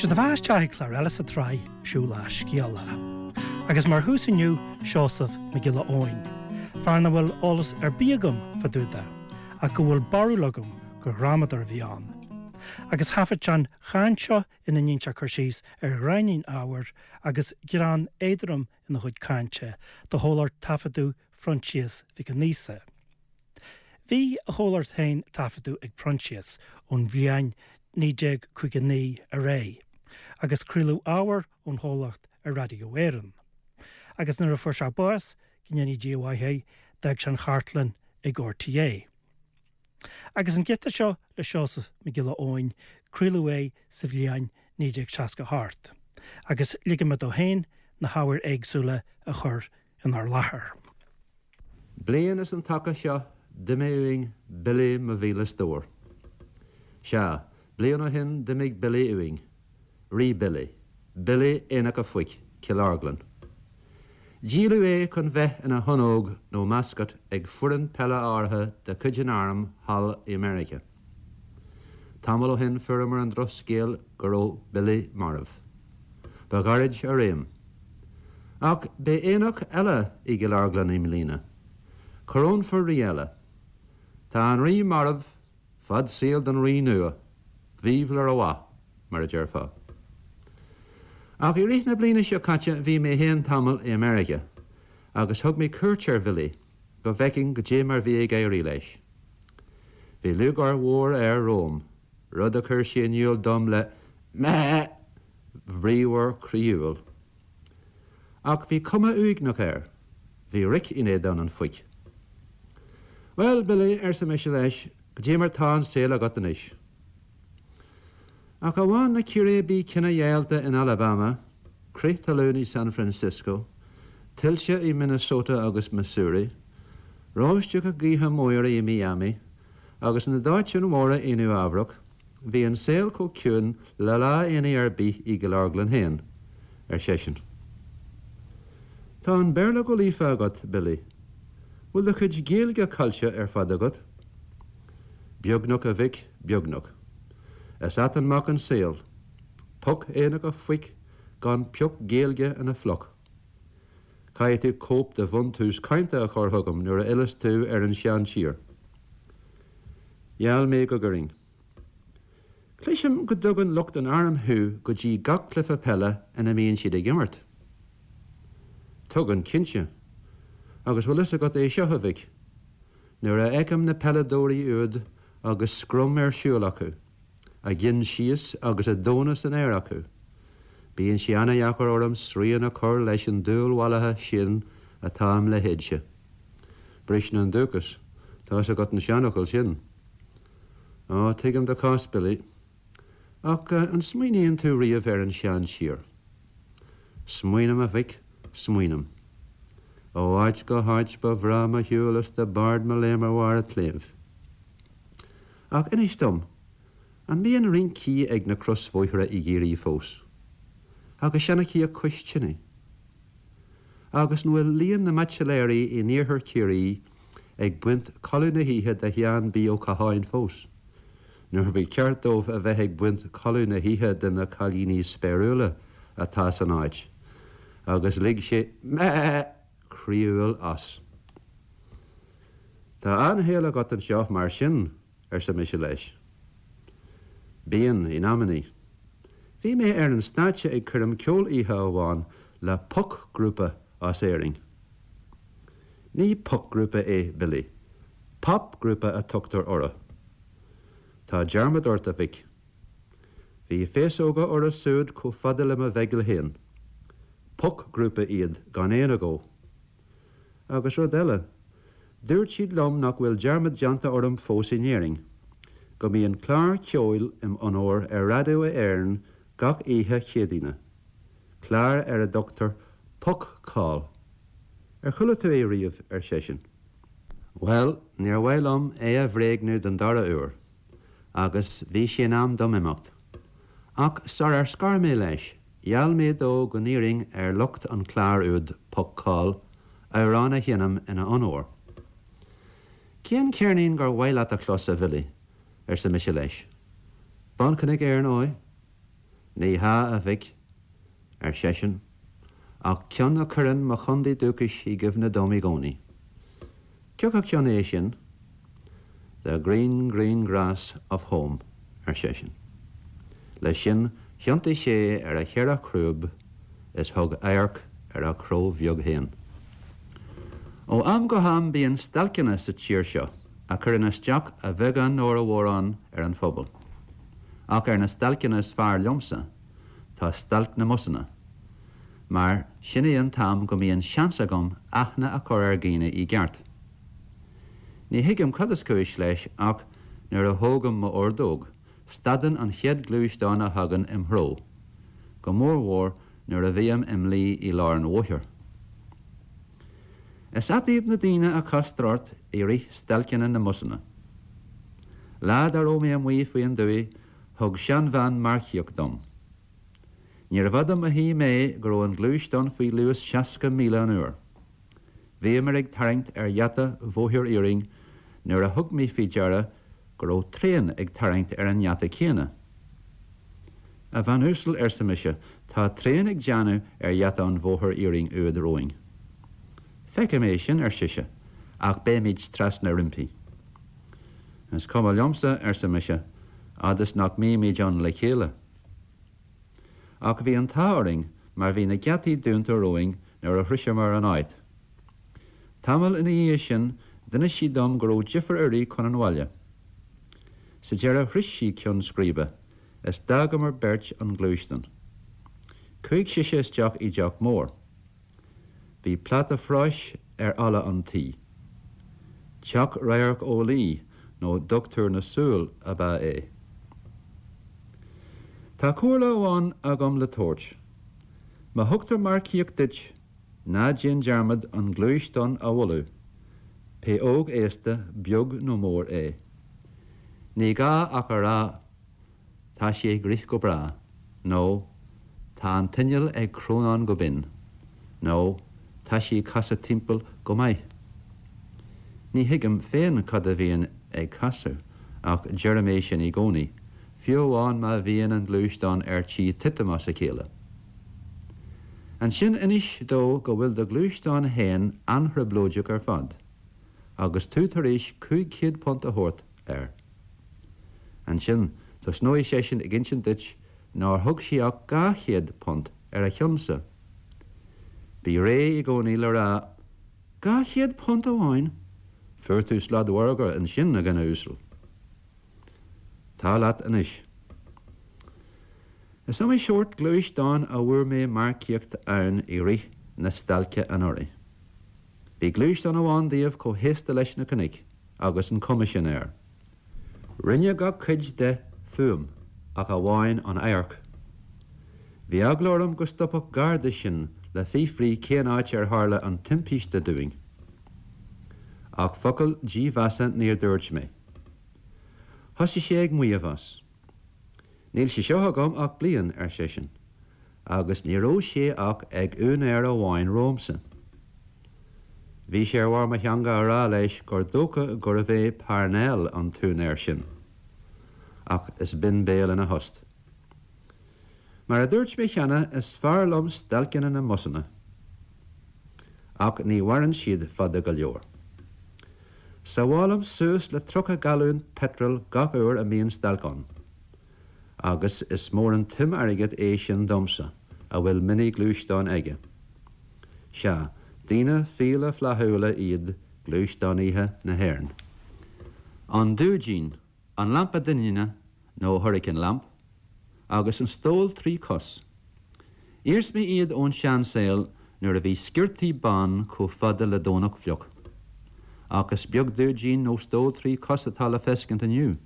Sé do bheatha isteach ag clár eile sa tsraith Siúlach Scéalach. Agus mar thús inniu, Seosamh Mac Giolla Eoin, fear nach bhfuil eolas ar bith agam fá dtaobh de, ach go bhfuil barúil agam gur dhrámadóir a bhí ann. Agus thaifead sé an chaint seo ina ndéanann sé cur síos ar ghráinnín ábhair agus greann éadrom ina chuid cainte do chomhlacht taifeadadh Phroinsias Mhic an Íosa. Bhí a chomhlacht féin taifeadadh ag Proinsias ón bhliain 1959 ar aghaidh, agus craoladh ábhar ón chomhlacht ar Raidió Éireann. Agus nuair a fuair sé bás, go ndéanaí Dia a mhaith é, d'fhág sé an chartlann ag RTÉ. Agus an giota seo le Seosamh Mac Giolla Eoin, craoladh é sa bhliain 1968, agus ligfidh mé dó féin na hábhair éagsúla a chur inár láthair. Bliain is an taca seo d'imigh uainn Billy mo mhíle stór. Sea, bliain ó shin d'imigh Billy uainn. Rí Billy. Billy Aonach a' Phoic, Cill Orglan. Díoladh é chun bheith ina thonnóg nó mascot ag foireann peile áirithe de chuid an airm thall i Meiriceá. Tamall ó shin fuaireamar an drochscéal go raibh Billy marbh. Ba ghairid a réim. Ach beidh aonach eile i gCill Orglan i mbliana. Corónfar rí eile. Tá an rí marbh, fad saoil don rí nua, vive le roi, mar a déarfá. Ach i rith na bliana seo caite bhí mé féin tamall i America agus thug mé cuairt ar Bhilly go bhfeicfinn goidé mar bhí ag éirí leis. Bhí lúcháir mhór air romham, rud a chuir sé in iúl dom le meh! bhríomhar croíúil. Ach bhí cuma uaigneach air. Bhí roic in éadan an phoic. Bhuel, Billy, arsa mise leis, goidé mar tá an saol agat anois? Ach amháin na círéibí cinedheighilte in Alabama, crith talún i San Francisco, tuilte i Minnesota agus Missouri, roisteacha gaoithe móire i Miami, agus na dóiteáin mhóra i Nua Eabhrac, Bhí an saol chomh ciúin le lá aonaigh ar bith i gCill Orglan féin, ar seisean. Tá an Béarla go líofa agat, Billy. Bhfuil do chuid Gaeilge caillte ar fad agat? Beagnach, a mhic, beagnach. Is ait an mac an saol. Poc Aonach a' Phoic gan pioc Gaeilge ina phluc. Caithfidh tú cóip de Bhuntús Cainte a chur chugam nuair a fhilleas tú ar an seantír. Gheall mé go gcuirfinn. Cloisim go dtugann lucht an airm thú go dtí gach cluiche peile ina mbíonn siad ag imirt. Tugann, cinnte. Agus bhfuil fhios agat é seo, a mhic? Nuair a fheicim na peileadóirí úd agus scrum ar siúl acu, a gcinn síos agus a dtóna san aer acu, bíonn sé ana-dheacair orm srian a chur leis an dúil mhallaithe sin atá im leithéidse. Briseann an dúchas. Tá's agat an seanfhocal sin. Á, tuigim do chás, Billy. Ach an smaoiníonn tú riamh ar an seantír? Smaoinim, a mhic, smaoinim. Ó áit go háit ba bhreá mo shiúl is do b'ard mo léim ar bharr a' tsléibh. Ach inis dom, an mbíonn rincí ag na crosbhóithre i gCiarraí fós? Agus seanchaíocht cois tine? Agus an bhfuil líon na mbaitsiléirí in iarthar Chiarraí ag baint codladh na hoíche de Sheán B. Ó Catháin fós, nuair ba cheart dóibh a bheith ag baint codladh na hoíche de na cailíní spéiriúla atá san áit? Agus lig sé meh! croíúil as. Tá an-shaol agat anseo mar sin, arsa mise leis. Bíonn, in amannaí. Bhí mé ar an stáitse ag coirm ceoil oíche amháin le pocghrúpa as Éirinn. Ní pocghrúpa é, Billy. Popghrúpa a tugtar orthu. Tá dearmad ort, a mhic. Bhí féasóga orthu súd chomh fada le mo bheigeal féin. Pocghrúpa iad gan aon agó. Agus rud eile, dúirt siad liom nach bhfuil dearmad déanta orm fós in Éirinn, go mbíonn clár ceoil im onóir ar Raidió Éireann gach oíche Chéadaoine, clár ar a dtugtar Poc-Call. Ar chuala tú é riamh? ar seisean. Bhuel, níor mhaith liom é a bhréagnú don dara huair, agus bhí sé in am dom imeacht. Ach sar ar scar mé leis, gheall mé dó go n-iarrfainn ar lucht an chláir úd, Poc-Call, amhrán a sheinm ina onóir. Cén ceirnín gur mhaith leat a chlos, a Bhilly? arsa mise leis. Bunchnoic ar ndóigh. Ní hea, a mhic, ar seisean, ach ceann a chuireann mo chontae dúchais i gcuimhne dom i gcónaí. Cioca ceann é sin? The green, green grass of home, ar seisean. Leis sin thiontaigh sé ar a cheithre chrúb is thug adharc ar a chró bheag féin. Ó am go ham bíonn stailceanna sa tír seo a chuireann isteach a bheagán nó a mhórán ar an phobal. Ach ar na stailceanna is fearr liomsa tá stailc na mbusanna, mar sin é an t-am go mbíonn seans agam aithne a chur ar dhaoine i gceart. Ní thuigim cad is cúis leis ach nuair a thógaim m'ordóg, stadann an chéad ghluaisteán a thagann im threo, go mórmhór nuair a bhím im luí i lár an bhóthair. Is ait iad na daoine a chastar ort i rith stailceanna na mbusanna. Lá dá raibh mé amuigh faoin dtuaith thug seanbhean marcaíocht dom. Níorbh fhada mo shuí mé go raibh an gluaisteán faoi luas 60 míle an uair. Bhíomar ag tarraingt ar gheata bhóthair iarainn nuair a thug mé faoi deara go raibh traein ag tarraingt ar an ngeata céanna. A bhean uasal, arsa mise, tá traein ag déanamh ar gheata an bhóthair iarainn úd romhainn. Feicim é sin, ar sise, ach beimid trasna roimpi. Is cuma liomsa, arsa mise, fhad is nach mbímid ann le chéile. Ach bhí an t-ádh orainn mar bhí na geataí dúnta romhainn nuair a shroiseamar an áit. Tamall ina dhiaidh sin d'inis sí dom go raibh deifir uirthi chun an bhaile. Sa deireadh shroich sí ceann scríbe is d'fhágamar beirt an gluaisteán. Chuaigh sise isteach i dteach mór. Bhí pláta práis ar fhalla an tí. Teach radharc-eolaí nó dochtúir na súl ab ea é. Tá comhairle amháin agam le tabhairt. Má thugtar marcaíocht duit, ná déan dearmad an gluaisteán a mholadh, pé óg aosta, beag nó mór é. Ní gá ach a rá Tá sí ag rith go breá, nó Tá an t-inneall ag crónán go binn, nó Tá sí ag casadh timpeall go maith. Ní thuigim féin cad a bhíonn ag casadh, ach deirim é sin i gcónaí, fiú amháin má bhíonn an gluaisteán ar tí titim as a chéile. Ansin inis dó go bhfuil do ghluaisteán féin an-trioblóideach ar fad, agus tú tar éis £500 a thabhairt air. Ansin tosnóidh seisean ag insint duit nár thug sé ach £200 ar a chionn-sa. Bí réidh i gcónaí le rá, £200 amháin? Fuair tú sladmhargadh ansin, a dhuine uasail. Tá leat anois. Is iomaí seort gluaisteáin a bhfuair mé marcaíocht ann i rith na stailce anuraidh. Bhí gluaisteán amháin díobh chomh haosta leis na cnoic agus an chuma sin air. Rinne gach cuid de fuaim ach amháin an adharc. Bhí eagla orm go stopfadh garda sinn le fiafraí cén áit ar tharla an timpiste dúinn. Ach focal dímheasa níor dúirt mé. Thosaigh sé ag maíomh as. Níl sé seo agam ach bliain, ar seisean, agus ní raibh sé ach ag úinéir amháin romhamsa. Bhí sé ar bharr mo theanga a rá leis gur dócha gurbh é Parnell an t-úinéir sin. Ach is binn béal ina thost. Mar a dúirt mé cheana, is fearr liom stailceanna na mbusanna. Ach ní mhaireann siad fada go leor. Sábhálaim suas le 30 galún peitril gach uair a mbíonn stailc ann. Agus is mór an tsuim airgid é sin domsa, a bhfuil mini-ghluaisteán aige. Sea, daoine fiala flaithiúla iad gluaisteánaithe na hÉireann. An dúidín, an lampa doininne nó hurricane lamp, agus an stól tri cos. Iarsmaí iad ón seansaol nuair a bhí sciortaí ban chomh fada le Domhnach fliuch. Ach is beag dúidín nó stól tri cos atá le feiscint inniu.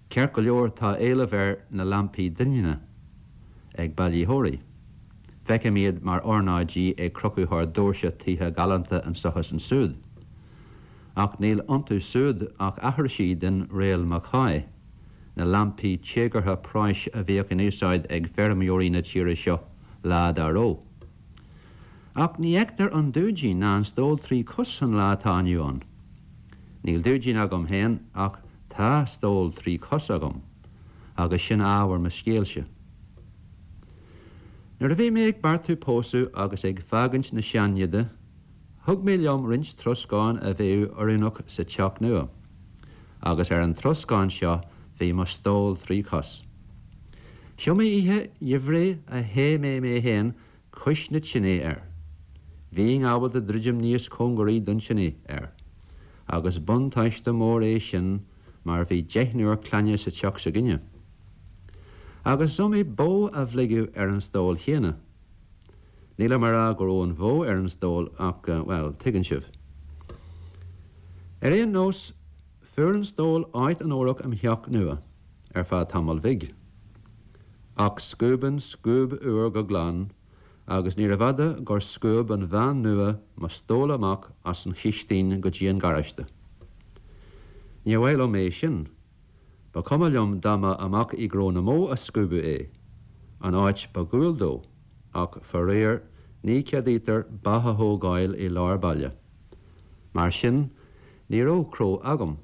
Ceart go leor tá éileamh ar na lampaí doininne ag bailitheoirí. Feicim iad mar ornáidí ag crochadh thar doirse tithe galánta anso is ansúd. Ach níl iontu súd ach aithrisí den Réal MacCoy, na lampaí téagartha práis a bhíodh in úsáid ag feirmeoirí na tíre seo lá dá raibh. Ach ní fheictear an dúidín ná an stól tri cos an lá atá inniu ann. Níl dúidín agam féin ach tá stól tri cos agam, agus sin ábhar mo scéilse. Nuair a bhí mé ag beartú pósadh agus ag fágaint na sean-neide, thug mé liom roinnt troscáin a bheadh oiriúnach sa teach nua, agus ar an troscán seo bhí mo stól thrí chos. Is iomaí oíche gheimhridh a théigh mé mé féin cois na tine air. Bhínn ábalta druidim níos cóngaraí don tine air, agus buntáiste mór é sin mar bhí deichniúr clainne sa teach s'againne. Agus is iomaí bó a bhligeadh ar an stól chéanna. Nílim a rá go raibh an bhó ar an stól ach, bhuel, tuigeann sibh. Ar aon nós, fuair an stól áit onórach im theach nua, ar feadh tamaill bhig. Ach scuabann scuab úr go glan agus níorbh fhada gur scuab an bhean nua mo stól amach as an chistín go dtí an garáiste. Níor mhaith liom é sin. Ba chuma liom dá mba amach i gcró na mbó a scuabadh é, an áit ba dhual dó, ach faraor ní cheadaítear ba a thógáil i lár baile. Mar sin, ní raibh cró agam.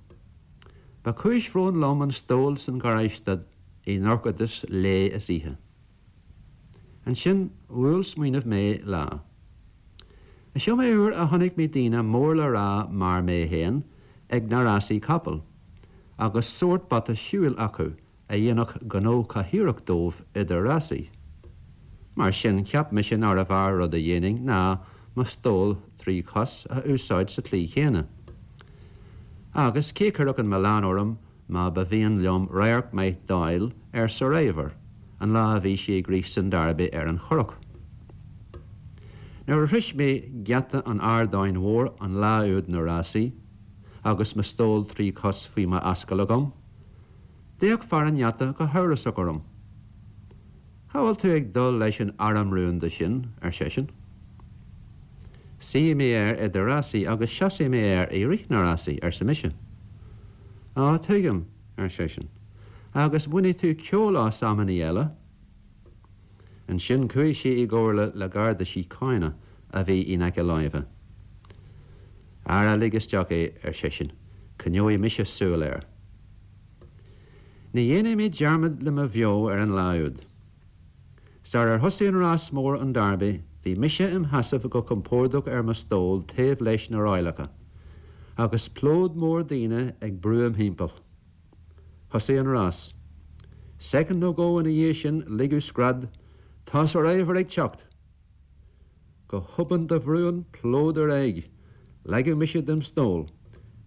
Ba chúis bhróin liom an stól san gharáiste i ndorchadas lae is oíche. Ansin bhuail smaoineamh mé lá. Is iomaí uair a chonaic mé daoine mór le rá mar mé féin ag na rásaí capall, agus sórt bata siúil acu a dhéanfadh gnó cathaoireach dóibh idir rásaí. Mar sin cheap mise nárbh fhearr rud a dhéanfainn ná mo stól thrí chos a úsáid sa tslí chéanna. Agus cé chuirfeadh an milleán orm má ba mhian liom radharc maith d'fháil ar Survivor an lá a bhí sí ag rith san Derby ar an Churrach. Nuair a shroich mé geata an Ardáin Mhóir an lá úd na rásaí, agus mo stól thrí chos faoi m'ascaill agam, d'fhéach fear an gheata go hamhrasach orm. Cá bhfuil tú ag dul leis an arm rúnda sin? ar seisean. Suífidh mé air idir rásaí agus seasfaidh mé air i rith na rásaí, arsa mise. Á, tuigim, ar seisean. Agus bainfidh tú ceol as amannaí eile. Ansin chuaigh sé i gcomhairle le Garda Síochána a bhí in aice láimhe. Ara lig isteach é, ar seisean, coinneoidh mise súil air. Ní dhéanfaidh mé dearmad le mo bheo ar an lá úd. Sar ar thosaigh an rás mór an Derby bhí mise im sheasamh go compordach ar mo stól taobh leis na ráileacha, agus plód mór daoine ag brú im thimpeall. Thosaigh an rás. Soicind nó dhó ina dhiaidh sin ligeadh scread, Tá Survivor ag teacht! Go hobann do bhrúigh an plód ar aghaidh. Leagadh mise dem stól.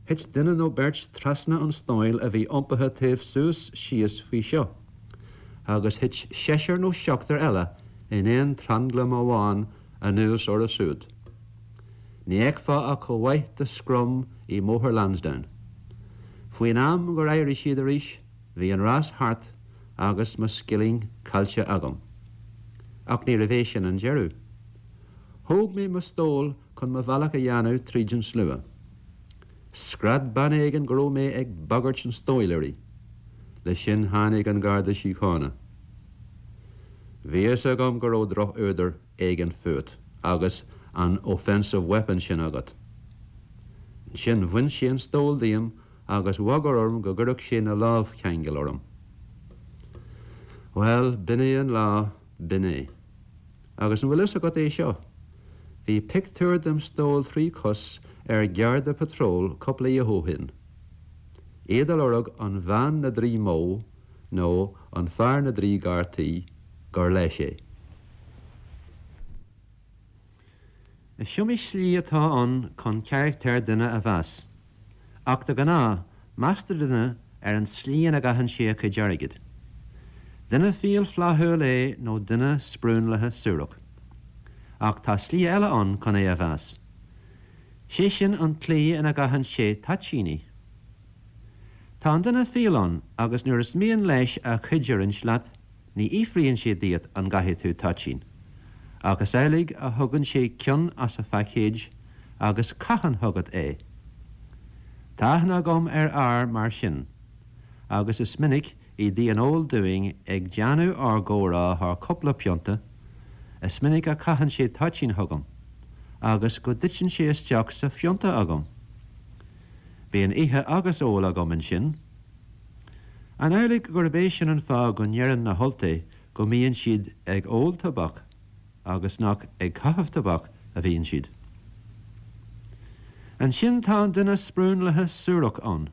Thit duine nó beirt trasna an stóil a bhí iompaithe taobh suas síos faoi seo, agus thit seisear nó seachtar eile in aon tranglam amháin anuas orthu siúd. Ní fheicfeá ach chomh maith de scrum i mBóthar Lansdowne. Faoin am gur éirigh siad arís, bhí an rás thart agus mo scilling caillte agam. Ach ní raibh é sin an deireadh. Thóg mé mo stól chun mo bhealach a dhéanamh tríd an slua. Scread bean éigin go raibh mé ag bagairt an stóil uirthi. Le sin tháinig an Garda Síochána. Bhí fhios agam go raibh drochfhuadar éigin fút agus an offensive weapon sin agat. Ansin bhain sé an stól díom agus bhagair orm go gcuirfeadh sé na lámhcheangail orm. Bhuel, b'in é an lá, b'in é. Agus an bhfuil fhios agat é seo? Bhí pictiúr dem stól thrí chos ar Gharda Patrol cúpla oíche ó shin. Iad a lorg an bhean na dtrí mbó nó an fear na dtrí gcártaí gur leis é. Is iomaí slí atá ann chun carachtar duine a mheas. Ach de ghnáth, meastar duine ar an tslí ina gcaitheann sé a chuid airgid. Duine fial flaithiúil é nó duine sprúnlaithe suarach. Ach tá slí eile ann chun é a mheas. Sé sin an tslí ina gcaitheann sé toitíní. Tá an duine fial ann agus nuair is mian leis a chuid a roinnt leat, Ní fhiafraíonn sé díot an gcaithfidh tú toitín, ach is amhlaidh a thugann sé ceann as a phaicéid agus caitheann chugat é. Tá aithne agam ar fhear mar sin, agus is minic i dtigh an óil dúinn ag déanamh ár gcomhrá thar cúpla pionta, is minic a chaitheann sé toitín chugam, agus go dtiteann sé isteach sa phionta agam. Bíonn ithe agus ól agam ansin. An amhlaidh gurb é sin an fáth go ndeireann na hUltaigh go mbíonn siad ag ól tobac? agus nach ag caitheamh tobac a bhíonn siad. Ansin tá an duine sprúnlaithe suarach ann.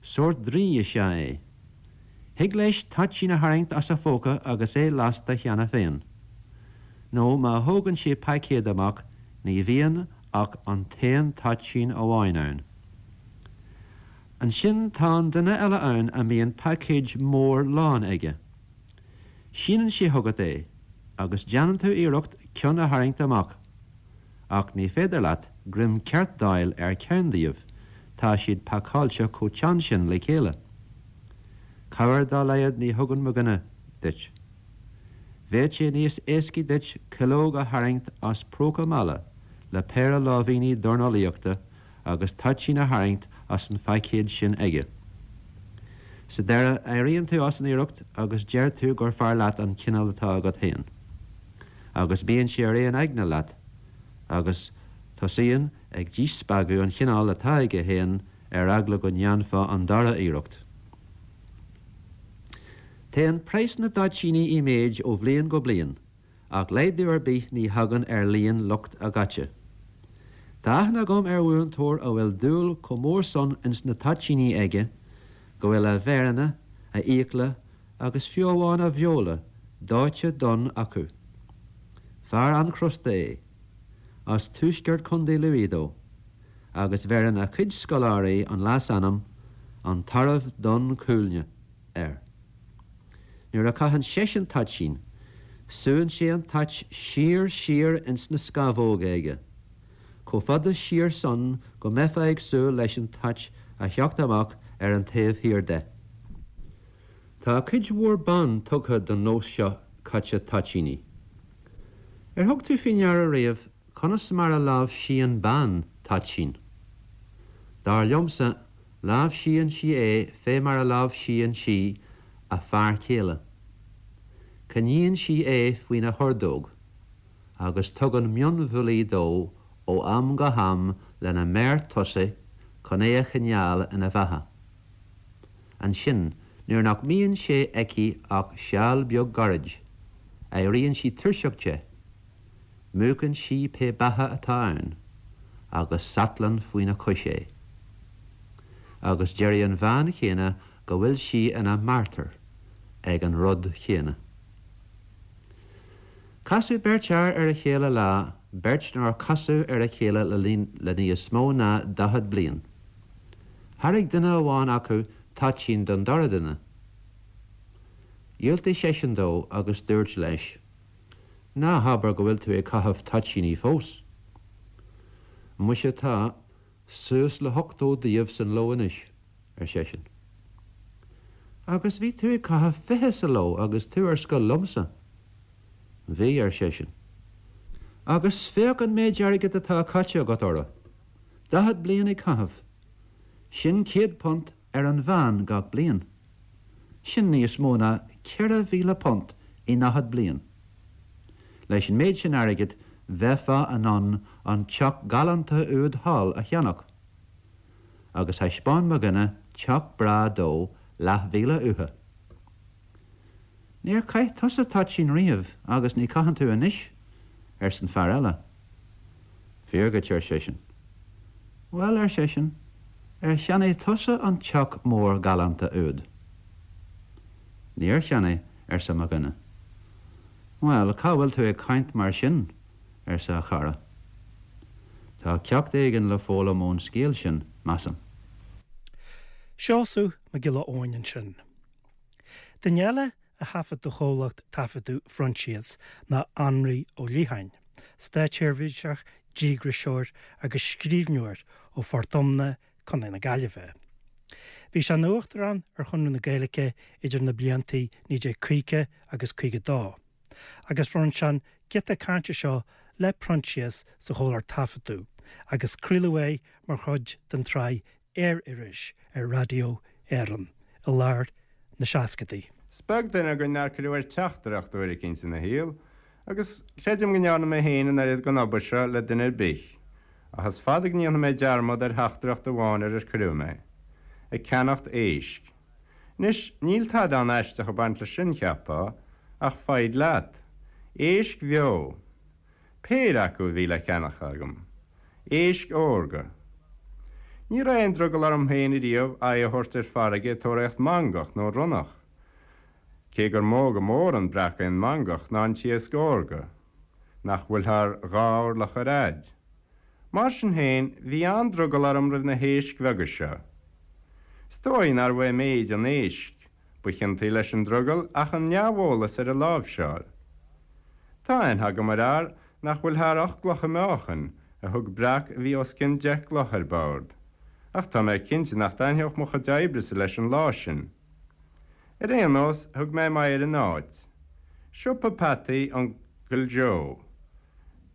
Sórt draoi is ea é. Thig leis toitín a tharraingt as a phóca agus é lasta cheana féin. Nó má thógann sé paicéad amach ní bhíonn ach an t-aon toitín amháin ann. Ansin tá an duine eile ann a mbíonn paicéid mór lán aige. Síneann sé chugat é agus déanann tú iarracht ceann a tharraingt amach. Ach ní féidir leat greim ceart d'fháil ar cheann díobh, tá siad pacáilte chomh teann sin le chéile. Cabhair dá laghad ní thugann mo dhuine duit. Bheadh sé níos éascaí duit cuileog a tharraingt as próca meala le péire láimhíní dornálaíochta agus toitín a tharraingt as an phaicéad sin aige. Sa deireadh, éiríonn tú as an iarracht agus deir tú gur fearr leat an cineál atá agat féin. Agus bíonn sé ar aon aigne leat, agus tosaíonn ag díspeagadh an chineáil atá aige féin ar eagla go ndéanfá an dara iarracht. Téann praghas na dtoitíní i méid ó bhliain go bliain. Ach laghdú ar bith ní thagann ar líon lucht a gcaite. Tá aithne agam ar mhúinteoir a bhfuil dúil chomh mór san ins na toitíní aige go bhfuil a mhéireanna, a fhiacla agus fiú amháin a bheola dóite donn acu. Fear an-chrosta é. As tuaisceart Chontae Lú dó, agus bheireann a chuid scoláirí an leasainm 'An Tarbh Donn Cuailgne' air. Nuair a chaitheann seisean toitín, súann sé an toit siar siar ins na scamhóga aige, chomh fada siar san go mbeifeá ag súil leis an toit a theacht amach ar an taobh thiar de. Tá cuid mhór ban tugtha don nós seo caite toitíní. Ar thug tú faoi ndeara riamh conas mar a láimhsíonn bean toitín? Dar liomsa, Láimhsíonn sí é fé mar a láimhsíonn sí a fear céile. Coinníonn sí é faoina hordóg agus tugann mionbhuillí dó ó am go ham lena méar tosaigh chun é a choinneáil ina bheatha. Ansin, nuair nach mbíonn sé aici ach seal beag gairid, éiríonn sí tuirseach de. Múchann sí pé beatha atá ann agus satlann faoina cois é. Agus déarfaidh an bhean chéanna go bhfuil sí ina martar ag an rud chéanna. Casadh beirt fhear ar a chéile lá, beirt nár casadh ar a chéile le níos mó ná 40 bliain. Thairg duine amháin acu toitín don dara duine. Dhiúltaigh seisean dó agus dúirt leis. Ná habair go bhfuil tú ag caitheamh toitíní fós? Muise tá, suas le hochtó díobh san ló anois, ar seisean. Agus bhí tú ag caitheamh 20 sa ló agus tú ar scoil liomsa. Bhí, ar seisean. Agus féach an méid airgid atá caite agat orthu. 40 bliain ag caitheamh. Sin £100 ar an mheán gach bliain. Sin níos mó ná £4,000 i ndaichead bliain. Leis an méid sin airgid bheifeá in ann an teach galánta úd thall a cheannach. Agus thaispeáin mo dhuine teach breá dó leathmhíle uathu. Níor chaith tusa toitín riamh agus ní chaitheann tú anois, arsa an fear eile. Fíor dhuit, ar seisean. Bhuel, ar seisean, ar cheannaigh tusa an teach mór galánta úd? Níor cheannaigh, arsa mo dhuine. Bhuel, cá bhfuil tú ag caint mar sin? arsa a chara. Tá ceacht éigin le foghlaim ón scéal sin, measaim. Seosamh Mac Giolla Eoin ansin. Duine eile a thaifead do chomhlacht taifeadadh Phroinsias ná Anraí Ó Liatháin, státseirbhíseach, díograiseoir agus scríbhneoir ó Phort Omna, Co. na Gaillimhe. Bhí sé ina Uachtarán ar Chonradh na Gaeilge idir na blianta 1950 agus 52, agus bhronn sé an giota cainte seo le Proinsias sa chomhlacht taifeadadh agus craoladh é mar chuid den tsraith Aer-Iris ar Raidió Éireann i lár na seascadaí. Is beag duine againn nár cuireadh air teachtaireacht uair eicínt ina shaol, agus creidim go ndearna mé féin an oiread den obair seo le duine ar bith, ach is fada go ndéanfaidh mé dearmad ar theachtaireacht amháin ar ar cuireadh mé. Ag ceannacht éisc. Anois, níl tada an-aisteach ag baint leis sin, cheapfá, ach foighid leat. Éisc bheo. Péire acu a bhí le ceannach agam. Éisc órga. Ní raibh aon drogall orm féin ariamh aghaidh a thabhairt ar farraige ag tóraíocht mangach nó ronnach, cé gur mó go mór an breac é an mangach ná an t-iasc órga, nach bhfuil thar dha orlach ar fhaid. Mar sin féin, bhí an-drogall orm roimh na héisc bheaga seo. Is dóigh nárbh é méid an éisc ba chiontaí leis an drogall ach an neamheolas ar a láimhseáil. Tá aithne agam ar fhear nach bhfuil thar 8 gcloch a mheáchan, a thug breac a bhí os cionn 10 gcloch ar bord. Ach tá mé cinnte nach dtaitneodh mo chuid oibrese leis an lá sin. Ar aon nós, thug mé m'aghaidh ar an áit. Siopa peataí Uncail Joe.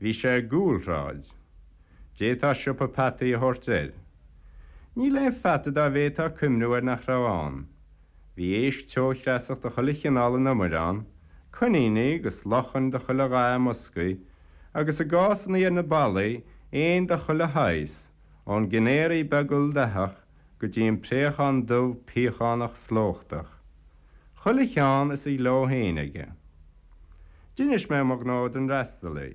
Bhí sé i gcúlshráid. D'fhéadfá siopa peataí a thabhairt air. Níl aon pheata dá bhféadfá cuimhniú air nach raibh ann. Bhí éisc teochreasach de chuile chineál in umair ann, coiníní agus luchain de chuile dhath i mboscaí, agus i gcásannaí ar na ballaí, éin de chuile shaghas, ón gcinéaraí beag ildathach go dtí an préachán dubh piachánach slóchtach. Chuile cheann is a ghleo féin aige. D'inis mé mo ghnó don fhreastalaí.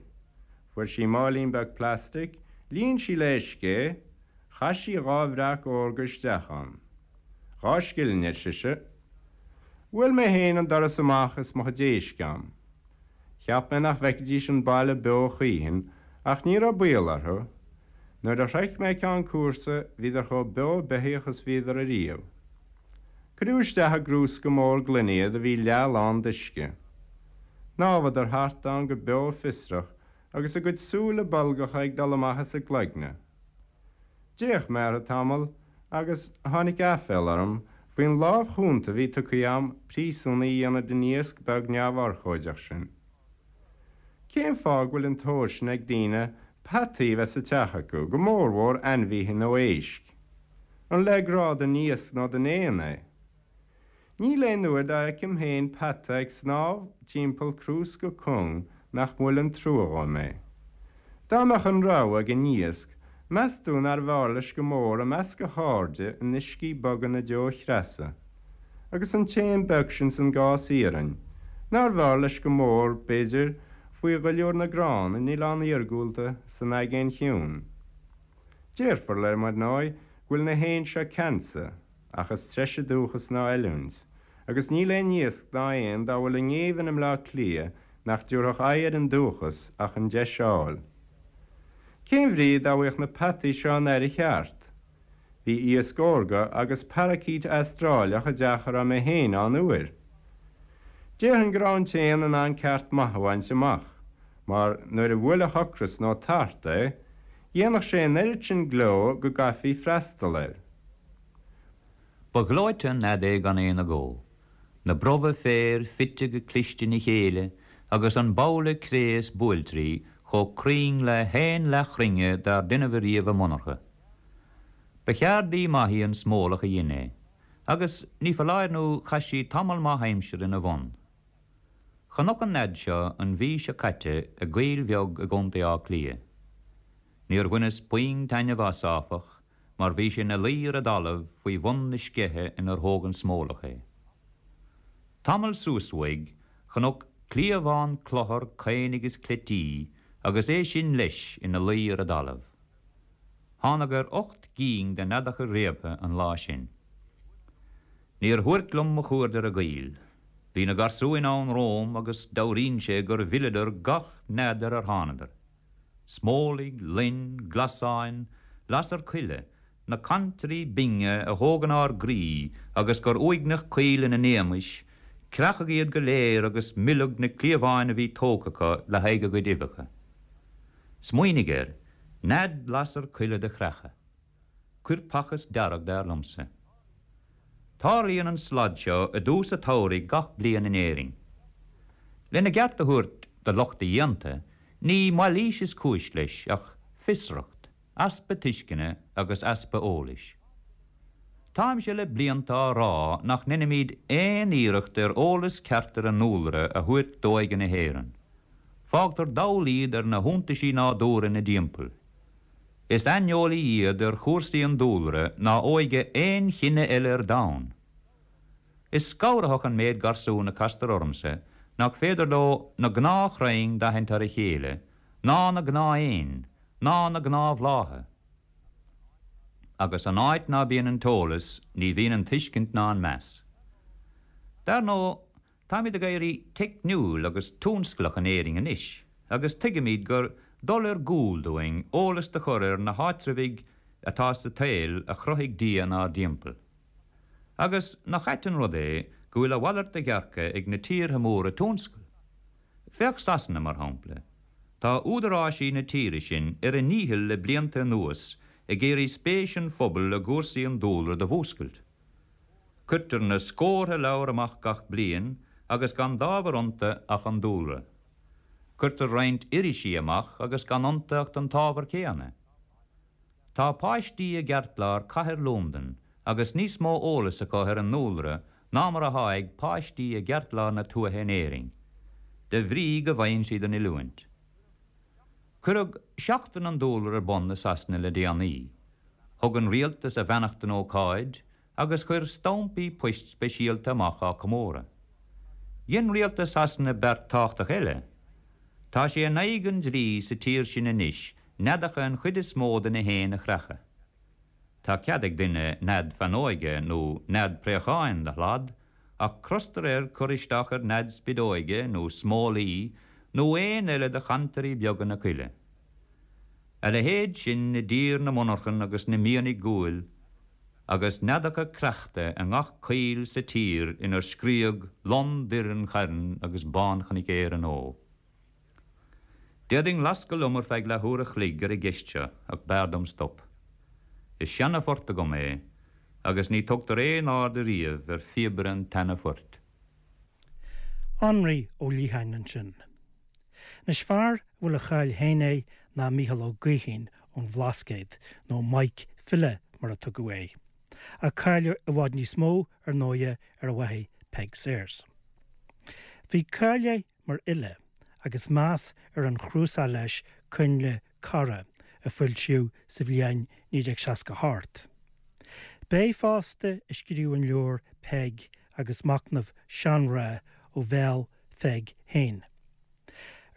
Fuair sí máilín beag plastic, líon sí le uisce é, chaith sí dha bhreac órga isteach ann. Dhá scilling, ar sise. Bhuail mé féin an doras amach is mo chuid éisc a'm. Cheap mé nach bhfeicfidís an baile beo choíchin, ach ní raibh baol orthu. Nuair a shroich mé ceann cúrsa, bhíodar chomh beo beithíoch is bhíodar ariamh. Cuireadh isteach i gcrúsca mór gloine iad a bhí leath lán d'uisce. Shnámhadar thart ann go beo fiosrach agus a gcuid súile bolgacha ag dul amach as a gcloigne. D'fhéach mé orthu tamall agus tháinig aiféala orm faoin lámh chúnta a bhí tugtha a'm príosúnaigh a dhéanamh den iasc beag neamhurchóideach sin. Cén fáth go bhfuil an tóir sin ag daoine peataí a bheith sa teach acu, go mórmhór ainmhithe nó éisc? An le grá don iasc nó don éan é? Níl aon uair dá bhfeicim féin peata ag snámh timpeall crúsca cúng nach mbuaileann trua dhom é. Dá mbeadh an rogha ag an iasc, meas tú nárbh fhearr leis go mór i measc a chairde in uiscí boga na deo-chreasa? Agus an t-éan beag sin san gcás iarainn, nárbh fhearr leis go mór, b'fhéidir, faoi dhuilliúr na gcrann in oileán iargúlta san Aigéan Chiúin? Déarfar liom, ar ndóigh, go bhfuil na héin seo ceansa, ach is treise dúchas ná oiliúint, agus níl aon iasc ná éan dá bhfuil i ngéibheann i mBleá Cliath nach dtabharfadh aghaidh ar an dúchas ach an deis a fháil. Cén bhrí dá bhfaigheadh na peataí seo an aire cheart? Bhí iasc órga agus paracaít Astráileach i dteach a raibh mé féin ann uair. Déarfainn go raibh an t-éan in ann ceart maith a bhaint amach, mar nuair a bhuailfeadh ocras nó tart é, dhéanfadh sé an oiread sin gleo go gcaithfí freastal air. Ba ghleoite an nead é gan aon agó. Na brobha féir fite go cliste ina chéile agus an babhla cré is buailtrí chomh cruinn le haon leathchruinne dár deineadh ariamh i monarcha. Ba cheardaí maith í an smólach a dhein é, agus ní foláir nó chaith sí tamall maith aimsire ina bhun. Chonac an nead seo an mhí seo caite i gcoill bheag i gContae Átha Cliath. Níor bhaineas puinn taitneamh as, áfach, mar bhí sé ina luí ar an dtalamh faoi bhun na sceiche inar thóg an smólach é. Tamall suas uaidh, chonac cliabhán cluthar caonaigh agus cleití agus é sin leis ina luí ar an dtalamh. Thánag ar 8 gcinn de neadacha réabtha an lá sin. Níor shuairc liom mo chuaird ar an gcoill. Bhí na garsúin ann romham agus deabhraíonn sé gur mhilleadar gach nead ar ar thánadar. Smólaigh, loin, glasáin, lasair coille, na cantairí binge a thógann ár gcroí agus gur uaigneach coill ina n-éamais, creachadh iad go léir agus milleadh na cliabháin a bhí tógtha acu le haghaidh a gcuid uibheacha. Smaoinigh air, nead lasair coille do chreachadh. Coirpeachas dearg dar liomsa. Tarlaíonn an slad seo i dtús an tsamhraidh gach bliain in Éirinn. Lena gceart a thabhairt do lucht a dhéanta, ní mailís is cúis leis ach fiosracht, easpa tuisceana agus easpa eolais. Táimse le blianta á rá nach ndeinimid aon iarracht ar eolas ceart ar an ndúlra a thabhairt d'óige na hÉireann. Fágtar dall iad ar na hiontaisí nádúrtha ina dtimpeall. Is aineolaí iad ar chúrsaí an dúlra ná óige aon chine eile ar domhan. Is scanraitheach an méid garsún a castar ormsa nach féidir leo na gnáthchrainn d'aithint ar a chéile, ná na gnáth-éin, ná na gnáthbhlátha. Agus an áit ná bíonn an t-eolas, ní bhíonn an tuiscint ná an meas. Dar ndóigh, táimid ag éirí teicniúil agus tionsclach in Éirinn anois, agus tuigimid gur dul ar gcúl dúinn eolas do chur ar na háitreabhaigh atá sa tsaol a chruthaigh Dia inár dtimpeall. Agus nach ait an rud é go bhfuil a mhalairt de dhearcadh ag na tíortha móra tionscail? Féach Sasana, mar shampla. Tá údaráisí na tíre sin ar a ndícheall le blianta anuas ag iarraidh spéis an phobail i gcúrsaí an dúlra do mhúscailt. Cuirtear na scórtha leabhar amach gach bliain agus gan d'ábhar iontu ach an dúlra. Cuirtear roinnt irisí amach agus gan iontu ach an t-ábhar céanna. Tá páistí i gceartlár cathair Londain agus níos mó eolas acu ar an ndúlra ná mar athá ag páistí i gceartlár na tuaithe in Éirinn, de bhrí go bhfaigheann siad an oiliúint. Cuireadh Seachtain an Dúlra ar bun i Sasana le déanaí. Thug an rialtas a bheannacht don ócáid agus chuir stampaí poist speisialta amach á comóradh. Dhein rialtas Shasana beart tábhachtach eile. Tá sé in aghaidh an dlí sa tír sin anois neadacha an chuid is mó de na héin a chreachadh. Tá cead ag duine nead feannóige nó nead préacháin do shlad, ach crostar air cur isteach ar nead spideoige nó smólaí nó éin eile de chantairí beaga na coille. A leithéid sin i dtír na monarchan agus na mianaigh guail, agus neadacha creachta i ngach coill sa tír inar scríodh Lon Doire an Chairn agus Bánchnoic Éireann Ó. D'fhéadfainn lascadh liom ar feadh leathuair a chloig ar an gceist seo ach b'fhearr dom stop. Is seana-phort agam é agus ní tugtar aon aird ariamh ar phíobaire an tseana-phoirt. Anraí Ó Liatháin ansin. Anois fear a bhfuil a cháil féin air ná Mícheál Ó Gaoithín ón Bhlascaod, nó Maidhc File mar a tugadh air. Ach cáil i bhfad níos mó, ar ndóighe, ar a mháthair Peig Sayers. Bhí cáil air mar fhile agus meas ar an chnuasach leis Coinnle Cara a foilsíodh sa bhliain 1968. B'é fosta a scríobh an leabhar Peig agus Machnamh Seanmhná ó bhéal Pheig féin.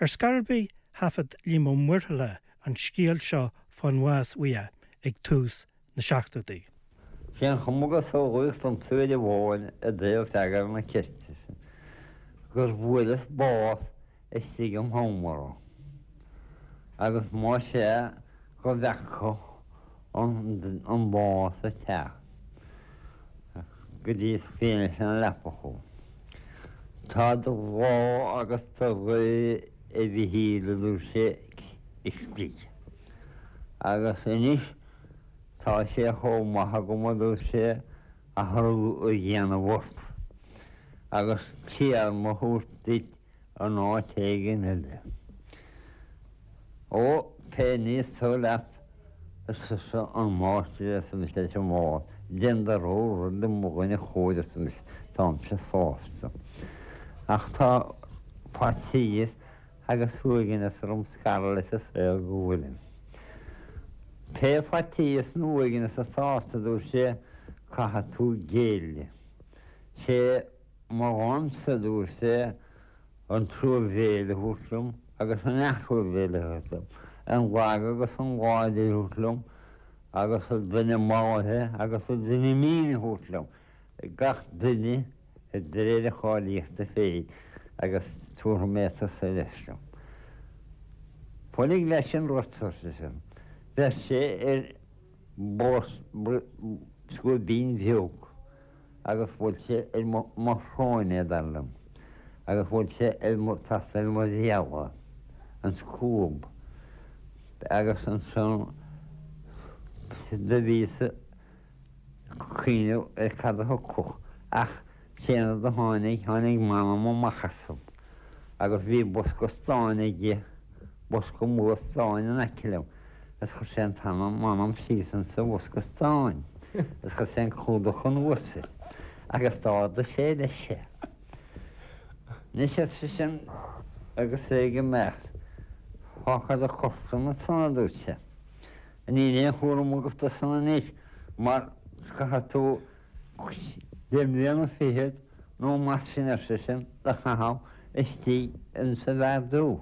Ar scor ar bith thaifead Liam Ó Muirthile an scéal seo fán bhás uaidh ag tús na seachtóidí. Sé an chuma go samhlaíodh domsa uair amháin i dtaobh freagra na ceiste sin, gur bhuaileas bás istigh im sheomra, agus más ea go bhfeaca an bás ag teacht go dtí fianaise na leapa chugam. Tá do ghrá agus do ghaoth a Mhichíl a dúirt sé istigh. Agus anois tá sé chomh maith agam a dúirt sé athrú a dhéanamh ort agus téarma a thabhairt duit in áit éigin eile. Ó, pé ní is toil leat, arsa an máistir arsa mise leis an bhás, déan do rogha rud a mo dhuine chóir arsa mise, táimse sásta. Ach tá faitíos agus uaigneas orm scaradh leis an saol go bhfuilim. Pé faitíos nó uaigneas atá ort, a dúirt sé, caithfidh tú géilleadh. Sé mo dhánsa, a dúirt sé, an truamhéil a thabhairt liom agus an leath-thruamhéil a thabhairt liom, an lag agus an láidir a thabhairt liom agus an duine mallaithe agus an duine mín a thabhairt liom, gach duine de réir a cháilíochta féin agus tabharfaidh mé tusa leis liom. Folaigh leis an rud, ar seisean. Bheir sé ar scuaibín bheag agus bhuail sé ar mo shrón é, dar liom, agus bhuail sé ar mo, trasna ar mo bhéal, an scuab, agus ansan do bhíos ag cuimhneamh ar cad a thiocfadh, ach cén rud a tháinig, tháinig m'anam amach asam, agus bhí bosca stáin aige, bosca mór stáin in aice liom, is chuir sé an t-anam, m'anam síos insa bhosca stáin, is chuir sé an clúdach anuas air, agus d'ardaigh sé leis é. Anois, ar seisean, agus é ag imeacht, fágfar do chorp ansan, a dúirt sé. Níl aon chúram agat de san anois mar caithfidh tú deich mbliana fichead nó mar sin, ar seisean, do chaitheamh. istigh insa bhfear dubh,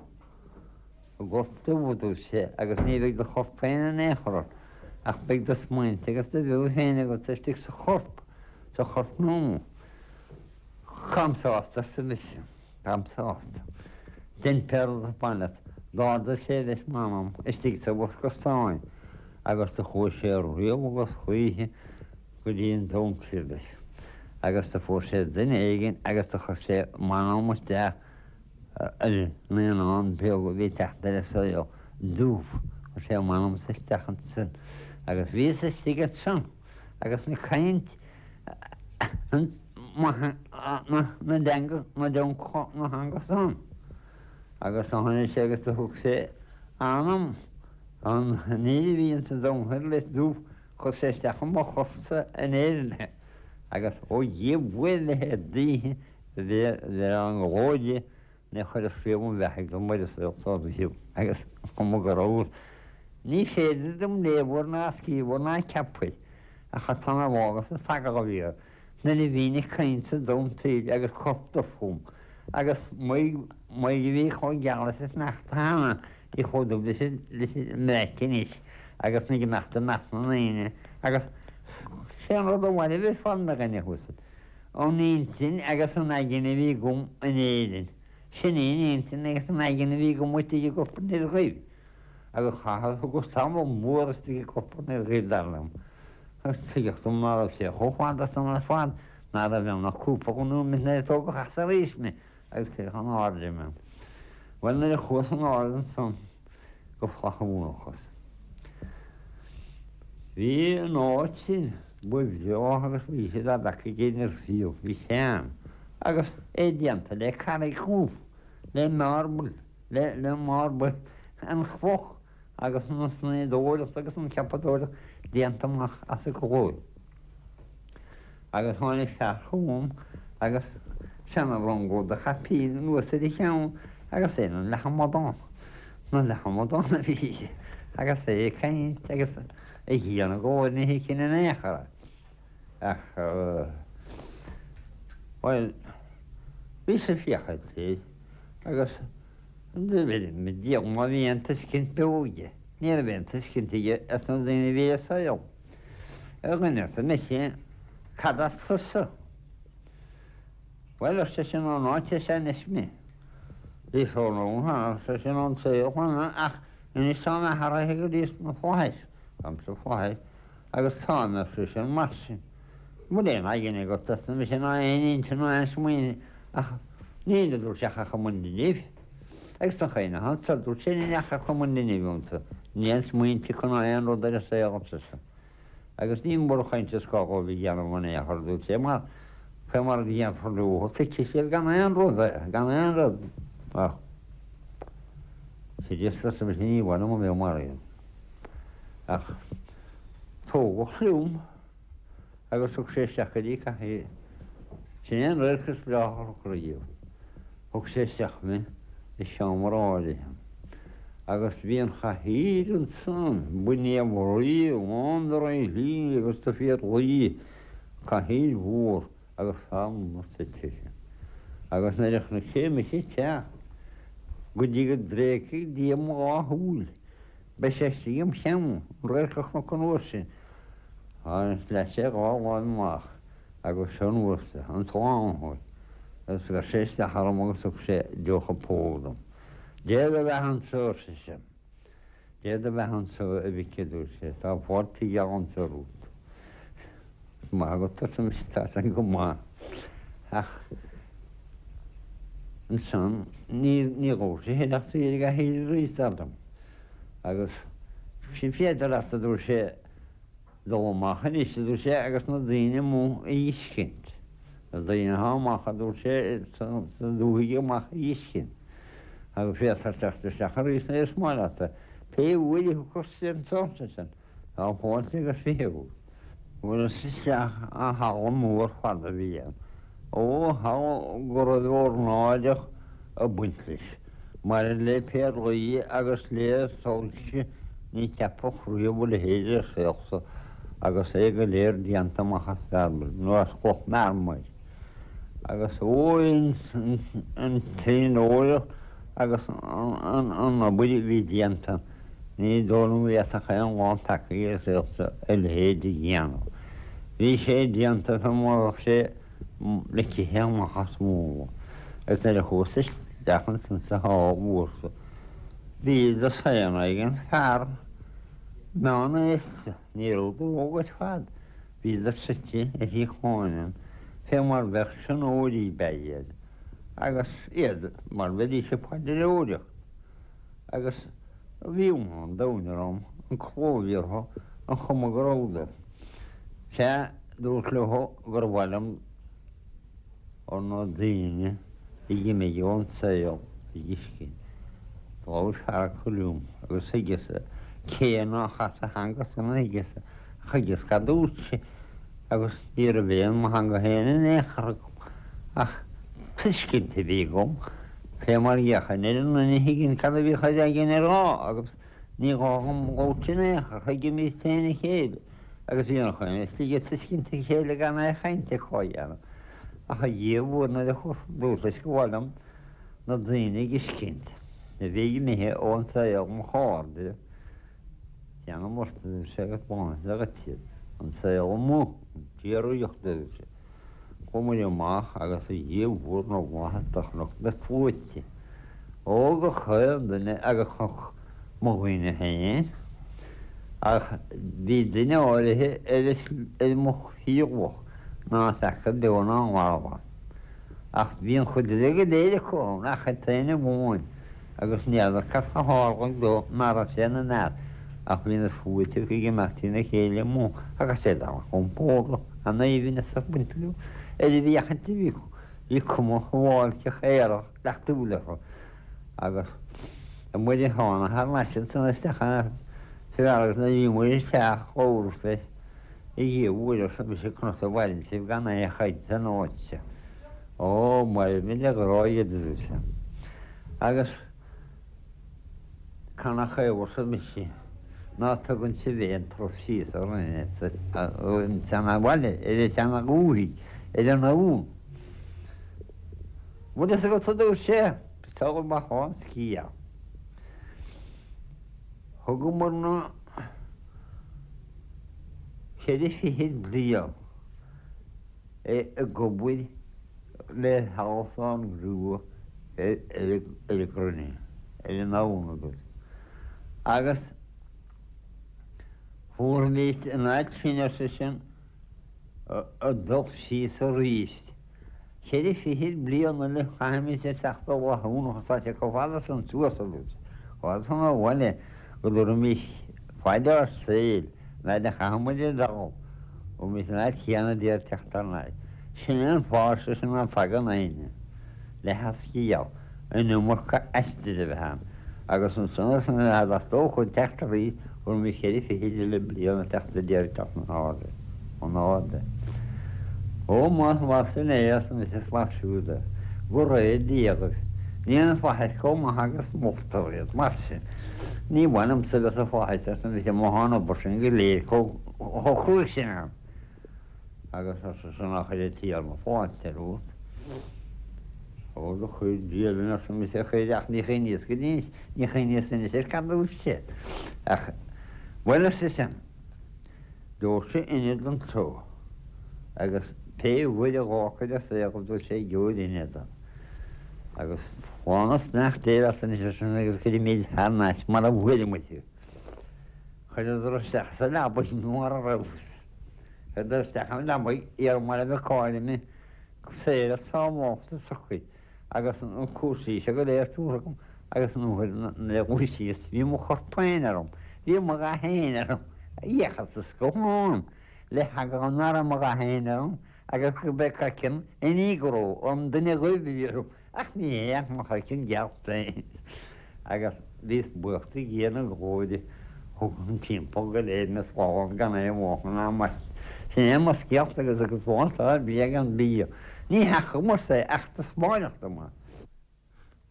i gcorp dubh, a dúirt sé, agus ní bheidh do chorp féin in aon chor ort, ach beidh do smaointe agus do bheo féin agat istigh sa chorp, sa chorp nua. Táim sásta, arsa mise. Táim sásta. Dein pé rud is maith leat. D'ardaigh sé leis m'anam istigh sa bhosca stáin agus do chuaigh sé riamh agus choíche go dtí an domhan thiar leis. Agus do fuair sé duine éigin agus do chuir sé m'anam isteach i naíonán beag a bhí ag teacht ar an saol dubh. Chuir sé m'anamsa isteach ansin agus bhíos istigh ansin agus mé ag caint na dteanga, na dteanga san. Agus do tháinig sé agus do thug sé anam an fhir a bhí ins an domhan thoir leis dubh, chuir sé isteach i mo chorpsa in Éirinn é. Agus ó Dhia buail le hé d'oíche bhí an ghlóir di, Ní chuireas riamh mo bheathaidh dom ar an saol so riamh agus is cuma go rabhas. Ní féidir dom léamh air ná scríobh air ná ceapadh air, ach tá mé bhfágas an t-agallamh a bhí air nuair a bhínn ag caint sa domhan thoir agus corp dubh fúm agus m'aghaidh a bhí chomh geal leis an sneachta cheana, bhí chomh dubh leis an mbreac anois agus mé ag imeacht i measc na ndaoine agus sé an rud a mhairbh ar fad mé a dhuine uasail. An intinn agus an aigne a bhí agam in Éirinn, sin í an intinn agus an aigne a bhí agam istigh i gcorp an fhir dhuibh. Agus chaitheas, thugas tamall mór istigh i gcorp an fhir dhuibh, dar liom. Agus tuigeadh dom ná raibh sé chomh fada san ar fad, ná raibh ann ach cúpla nóiméad nuair a tógadh as arís mé agus cuireadh in airde mé. Bhuel, nuair a chuas in airde ansan, go flaithiúnachas. Bhí an áit sin ba bhreátha agus ba dheise dá bhfeacaigh éinne riamh, bhí sean, agus é déanta le carraig dhubh, le marble, le, le marble, an chloch agus an snoíodóireacht agus an cheapadóireacht déanta amach as an gcloich. Agus tháinig fear chugam agus seana-rungóg de chaipín anuas ar a cheann agus é ina leath-amadán, ina leath-amadán a bhí sé agus é ag caint agus a dhia na glóire ní thuigfinn in aon chor é. Ach, bhuel, bhíos ag féachaint air agus diabhal má bhí aon tuiscint beo aige, ní raibh aon tuiscint aige ar na daoine a bhí ar an saol. A dhuine, arsa mise, cad as tusa? Bhuel, ar seisean, ón áit seo anois mé. Bhíos ón cheana, ar seisean, ón saol cheana, ach anois táim athraithe go dtí sna flaithis. Táim sna flaithis agus táim, ar seisean, mar sin. An bhfuil aon aigne agat, arsa mise, ná aon intinn ná aon smaoineamh, ach níl, a dúirt sé, ach aon duine. Agus an chaoi nach ann, dúirt sé, níl ach cumann linbh iontu, níl aon smaointe acu ná aon rud ar an saol, ar seisean. Agus ní mór an chaint is gá dhóibh a dhéanamh in aon chor, a dúirt sé, mar fé mar a dhéanfar leo, tuigfidh siad gan aon rud é, gan aon rud. Ach, Chríost, arsa mise, ní mhaith liom a bheith mar iad. Ach tógadh liom. Agus thug sé isteach go dtí cathaoir. Sin é an radharc is breátha a chonac riamh. Thug sé isteach mé i seomra áirithe. Agus bhí an chathaoir ansan, ba néalrí lán de reilí agus de phéarlaí, cathaoir mhór agus fear mór suite uirthi. Agus nuair a chonaic sé mise ag teacht, go dtí go dtréigfeadh Dia mo dhá shúil, Beidh sé istigh im cheann, an radharc a chonac an uair sin. Agus leath sé a dhá láimh amach agus seo anuas é, an Slánaitheoir, agus bheir sé isteach orm agus thug sé deoch a phóg dom. Dé do bheatha anso, ar seisean. Dé do bheatha anso, a mhic, a dúirt sé, tá fáilte gheal anso romhat. Is maith agat, arsa mise, tá san go maith. Ach ansan ní dhúirt sé ach saor ag a shaoire arís, dar liom. Agus sin féidir leat, a dúirt sé, dul amach anois, a dúirt sé, agus na daoine amuigh a fheiscint. Na daoine atá amach, a dúirt sé, sa dúthaigh amach a fheiscint. Agus féadfar teacht isteach arís nuair is maith leat. Pé uair a thiocfas sé anso, ar seisean. Tá fáilte agus 20 agat. Bhuaileas isteach i halla mór fada a bhí ann. Ó, halla go raibh ornáideach ag baint leis, maidir le péarlaí agus le soilse, ní cheapfadh riamh a leithéid ar an saol so, agus é go léir déanta amach as mharmair, nó as cloch mharmair. Agus ó an tslínóireacht agus an obair a bhí déanta, ní dóigh liom go bhféadfadh aon lán peacaí ar an saol seo a leithéid a dhéanamh. Bhí sé déanta fé mar a bheadh sé ligthe amach as múnla. Agus nuair a chuas isteach ansan sa hall mhór so, bhí dosaen éigin fear meánaosta, ní rabhadar óg ar fad, Bhíodar suite ar shuíocháin ann fé mar bheadh tionóirí ab ea iad, agus iad mar bheidís ag paidreoireacht. Agus bhí ionadh an domhain orm, an cló a bhí orthu, an chuma go rabhadar. Sea, dúrt leo gur mhaith liom na daoine a dh'imigh ón saol a dh'fheiscint. Labhair fear acu liom agus thuigeas-sa cé nách as a theanga-san a thuigeas-sa, thuigeas cad dúirt sé agus ní raibh aon mo theanga féin in aon chor agam ach tuiscint a bhí agam fé mar gheachain ar an nduine a thuigeann cad a bhíodh ar éigin a rá agus ní gá dhom labhairt in aon chor, thuigimís féin a chéile. Agus bhí an chaoi istigh ag tuiscint a chéile gan aon chaint acu a dhéanamh. Ach a Dhia mhór nuair a chuas dúrt leis gur mhaith liom na daoine a dh'fheiscint a bhí imithe ón saol, mo chairde, déanam ort a dúirt sé agus bainfead dhuit iad, an saol amuigh, an tsíoraíocht a dúirt sé. Chuamair amach agus a Dhia mhór na bhFlaitheas do chonac na sluaite. Ó gach aon duine agus chonac mo dhaoine féin. Ach bhí duine áirithe ar mo thriomlach ná feaca beo ná marbh é. Ach bhí an chuid eile go léir acu ann ach an t-aon amháin agus n'fheadar cad a tharlaigh dó ná raibh sé ina measc ach bhí na sluaite acu ag imeacht trína chéile amuigh agus iad an-chompordach, an-aoibhinn is ag baint leo ar an bhféachaint a bhí acu. Bhí cuma shuáilceach aerach leachtúil orthu agus muid a tháinig thar n-ais ansan isteach sa bheár agus nuair a bhí muid isteach labhras leis, A Dhia mhóir arsa mise conas a mhaireann sibh gan aon chaint san áit seo. Ó, mairimid le grá iad a dúirt sé. Agus Canathaobh arsa mise ná tugann sibh aon turas síos orainn ar an tseanabhaile, ar an tseanadhúthaigh, ar an abhainn. Bhfuil fhios agat a dúirt sé, sula mbeadh an scéal. Thugamar na ceithre fichid bliain ag obair le halsán grua ar an gcruinne, ar an abhainn agus agus fuair an áit sin, ar seisean, ag dul síos arís. Ceithre fichid bliain eile chaithfimid a theacht ó Mhathúna agus tá sé chomh fada san suas agus chomh fada san ó bhaile go dtabharfaimis faid ár saoil an fhaid a chaithfidh muid ag dul, bhfuilimid san áit chéanna d'iarraidh teacht thar n-ais. Sin é an fáth, ar seisean, ná tagann éinne le heascaill an iomarca aistir a bheith ann agus ansan is an fhad as dócha teacht arís thabharfaimis cheithre fichid eile bliain ag teacht a d'iarraidh teacht in airde, in airde. Ó, más mar sin é, arsa mise, is mar siúd é. Go raibh Dia agaibh. Níl na flaithis chomh maith agus moltar iad, mar sin. Ní maith liomsa a bheith sa fhlaithis, arsa mise, má thá an obair sin go léir chomh cruaidh sin ann. Agus ar seisean, Á chuir an Tiarna fáilte romhat. Ó, do chuir Dia linn, arsa mise, chuir, ach ní chuimhníos go dtí, ní chuimhníos anois ar cad dúirt sé. Ach, bhuel, ar seisean, gheobhaidh sibh ionad anseo, agus pé uair a dh'fhágfair an saol, dúirt sé, gheobhair ionad ann. Agus slán is beannacht Dé leat anois, ar seisean, agus cuirfimid thar n-ais mar a bhfuair muid thú. Chuireadar isteach sa leabaidh mé mar a rabhas. Chuireadar isteach i leabaidh iar mar a bheadh cáil mé saor is sábhálta socair agus na cúrsaí seo go léir tabhartha agam agus an uair nuair a dhúisíos bhí mo chorp féin orm, bhí mo dhath féin orm, fhéachas sa scáthán le heagla nach raibh mo dhath féin orm agus go b'é craiceann an negro, an duine dhuibh a bhí orm. Ach ní hé ach mo chraiceann geal féin. Agus bhíos buíoch de Dhia na glóire thug an timpeall go léir mé slán gan aon mháchain ná mairg. Sin é mo scéalta agus agus fán tá bia gan bia. Ní theachamas é ach taispeáineadh dom é.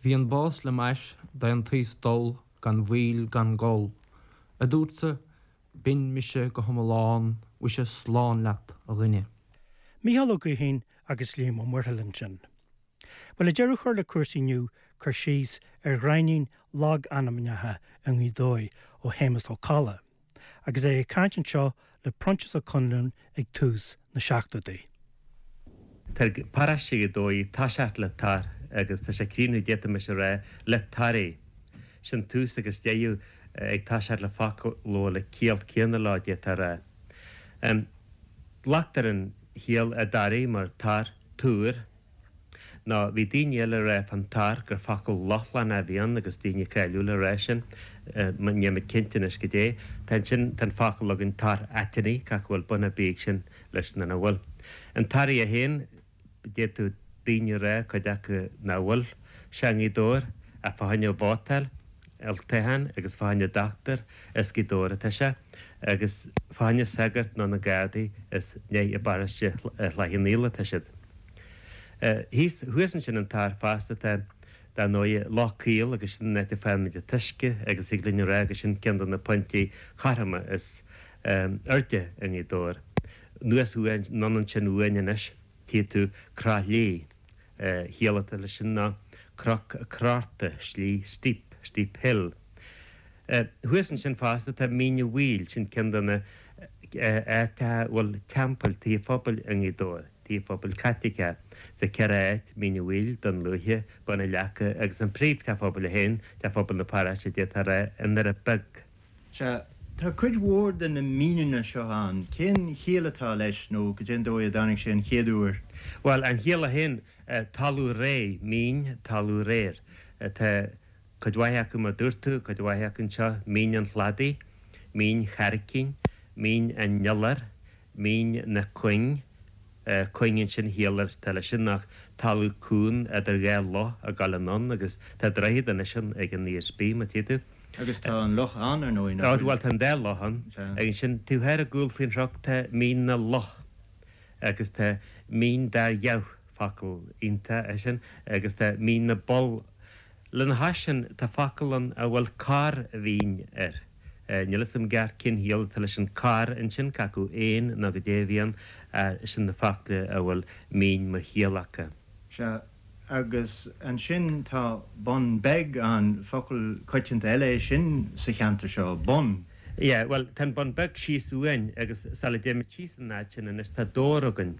Bhí an bás le m'ais d'aon taos dul gan mhoill gan gol, a dúrtsa, b'in mise go hiomlán, mhuise slán leat, a dhuine. Mícheál Ó Gaoithín agus Liam Ó Muirthile ansin. Bhuel, le deireadh a chur le cúrsaí inniu, cur síos ar ghreimhnín logainmneacha i nGaoth Dobhair ó Shéamus Ó Colla, agus é ag caint anseo le Proinsias Ó Conluain ag tús na seachtóidí. Tá paróiste Ghaoth Dobhair ag toiseacht le tor agus tá sé ag críochnú d'fhéadfaimis a rá le Toraigh. Sin tús agus deireadh ag toiseacht le focal a bhfuil an ciall céanna leo d'fhéadfá a rá. Glactar an chiall i dToraigh mar tor, túr. Nó bhí daoine eile ag rá fán tor gur focal Lochlannach a bhí ann agus daoine cáiliúla ag rá sin. Níl mé cinnte anois goidé. Tá ansin, tá an focal againn Tor Aithinne, cé acu an bhfuil bun ar bith ag sin leis nó nach bhfuil. An Toraigh é féin, d'fhéadfadh daoine a rá, cuid acu, nach bhfuil sé i nGaoth Dobhair ach fá choinne vótáil, olltoghchán agus fá choinne dochtúir as Gaoth Dobhair atá sé agus fá choinne sagart nó na Gardaí is ní i bparóiste Shláich an Fhaola atá siad. Thíos, thuas ansin an Tor fosta tá, dar ndóighe, Loch Caol agus sin an áit a bhfaighimid an t-uisce agus thig linn a rá gur sin ceann de na pointí cothroma is airde i nGaoth Dobhair. Anuas uainn, anonn ansin uainn anois, tchí tú Croithlí. Ciall atá leis sin ná cnoc crorta, slí steep, steep hill. Thuas ansin fosta tá Mín a' Mhaoil, sin ceann de na áiteacha a bhfuil teampaill, tithe phobail i nGaoth Dobhair, tithe phobail Caitliceacha sa cheithre áit, Mín a' Mhaoil, Dún Lúiche, Bun an Leaca agus an príomh-teach phobail é féin, teach phobail na paróiste d'fhéadfá a rá, i nDoire Beag. Sea, tá cuid mhór de na míneanna seo ann. Cén chiall atá leis nó goidé an dóigh a dtáinig sé an chéad uair? Bhuel, an chiall é féin, talamh réidh, mín, talamh réidh. Tá cuid mhaith acu mar dúirt tú, cuid mhaith acu anseo, Mín an Chladaigh, Mín Chaircín, Mín an Iolair, Mín na Cuing, cuing ansin ciall atá leis sin ach talamh cúng idir dhá loch ag dul anonn agus tá droichead anois ann ag an ESB má tchí tú. Agus tá an loch ann ar ndóigh, nach bhfuil? Bhuel tá an dá loch ann. Agus ansin taobh thoir i gcúl faoin chnoc tá Mín na Loch agus tá Mín Dar Dheamh, focal iontach é sin, agus tá Mín na bPoll. Lena chois sin tá focal ann a bhfuil Corr Mhín air. Níl fhios a'm i gceart cén chiall atá leis an corr ansin, cé acu éan nó goidé a bhí ann, sin na focla a bhfuil mín mar chiall acu. Sea, agus ansin tá Bun Beag ann, focal coitianta eile é sin sa cheantar seo, bun. Yeah, bhuel, tá an Bun Beag síos uainn agus sula dtéimid síos an áit sin anois tá Dobhar againn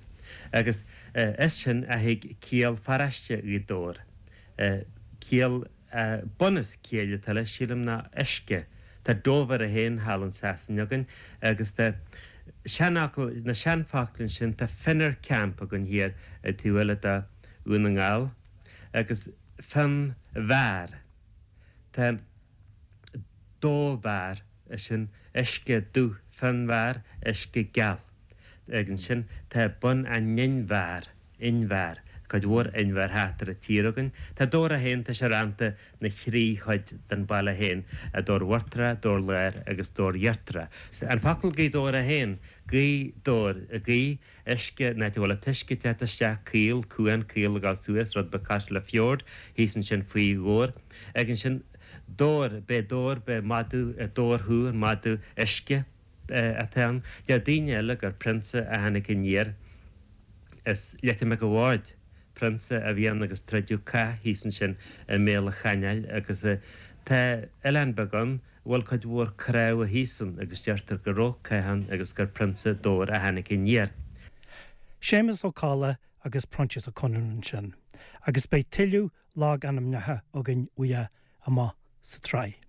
agus as sin a thig ciall pharóiste Ghaoth Dobhair. Ciall Bunús ciall atá leis, sílim, ná uisce. Tá Dover é féin thall in Sasain againn agus tá seanfhocal, na seanfhocla ansin, tá Finner Camp againn thiar ar taobh eile de Dhún na nGall agus Fionnbharr. Tá Dóbharr, sin uisce dubh, Fionnbharr, uisce geal. Agus ansin tá Bun an Inbhear. Inbhear, cuid mhór inbhear thart ar an tír againn. Tá Dobhar é féin, tá sé rannta 'na thrí chuid den baile féin, Dobhar Uachtarach, Dobhar Láir agus Dobhar Íochtarach. An focal Gaoth Dobhair é féin, gaoth dobhair, gaoth, uisce, an áit a bhfuil an t-uisce ag teacht isteach, caol, cuan caol ag dul suas, rud beag cosúil le fjord, thíos ansin faoi Dhobhar. Agus ansin Dobhar, b'é Dobhar, b'é madadh, Dobhar thú, an madadh uisce. atá ann. Deir daoine eile gur prionsa a tháinig aniar as Leitir Mhic a' Bhaird, prionsa a bhí ann agus troideadh cath thíos ansin i mbéal an chanáil agus tá oileán beag ann a bhfuil cuid mhór cnámha thíos ann agus deirtear go raibh cath ann agus gur prionsa Dobhar a tháinig aniar. Séamus Ó Colla agus Proinsias Ó Conluain ansin agus beidh tuilleadh logainmneacha againn uaidh amach sa tsraith.